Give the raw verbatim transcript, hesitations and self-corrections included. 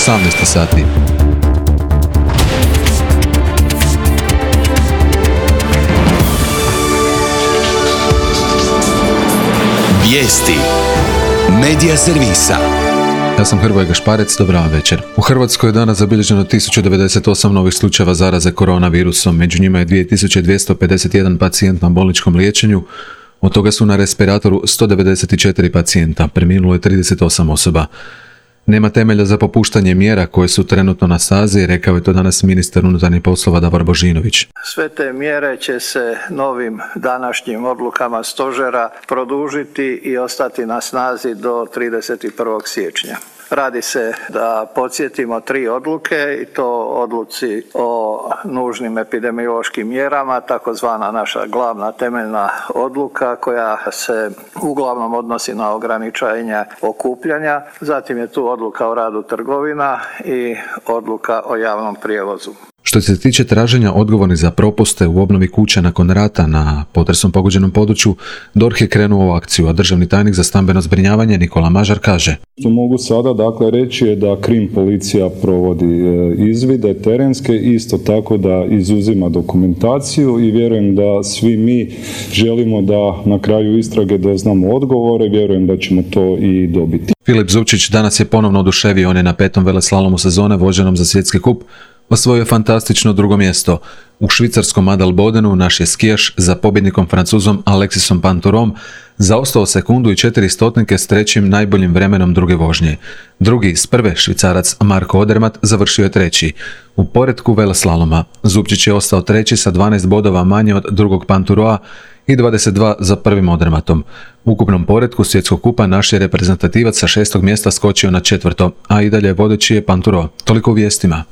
osamnaest sati. Vijesti Medija servisa. Ja sam Hrvoje Gašparec, dobra večer. U Hrvatskoj je danas zabilježeno tisuću devedeset osam novih slučajeva zaraze koronavirusom, među njima je dvije tisuće dvjesto pedeset jedan pacijent na bolničkom liječenju, od toga su na respiratoru sto devedeset četiri pacijenta, preminulo je trideset osam osoba. Nema temelja za popuštanje mjera koje su trenutno na snazi, rekao je to danas ministar unutarnjih poslova Davor Božinović. Sve te mjere će se novim današnjim odlukama stožera produžiti i ostati na snazi do trideset prvog siječnja. Radi se, da podsjetimo, tri odluke i to odluci o nužnim epidemiološkim mjerama, takozvana naša glavna temeljna odluka koja se uglavnom odnosi na ograničenje okupljanja. Zatim je tu odluka o radu trgovina i odluka o javnom prijevozu. Što se tiče traženja odgovornih za propuste u obnovi kuća nakon rata na potresom pogođenom području, D O R H je krenuo u akciju, a državni tajnik za stambeno zbrinjavanje Nikola Mažar kaže: Što mogu sada dakle reći je da krim policija provodi izvide terenske, isto tako da izuzima dokumentaciju i vjerujem da svi mi želimo da na kraju istrage doznamo odgovore, vjerujem da ćemo to i dobiti. Filip Zupčić danas je ponovno oduševio, on je na petom veleslalomu sezone voženom za svjetski kup osvojio fantastično drugo mjesto. U švicarskom Adelbodenu naš je skijaš za pobjednikom Francuzom Alexisom Pintourom zaostao sekundu i četiri stotinke s trećim najboljim vremenom druge vožnje. Drugi s prve Švicarac Marko Odermatt završio je treći. U poretku veleslaloma Zupčić je ostao treći sa dvanaest bodova manje od drugog Pintouroa i dvadeset dva za prvim Odermattom. U ukupnom poretku svjetskog kupa naš je reprezentativac sa šestog mjesta skočio na četvrto, a i dalje vodeći je Pintourom. Toliko u vijestima.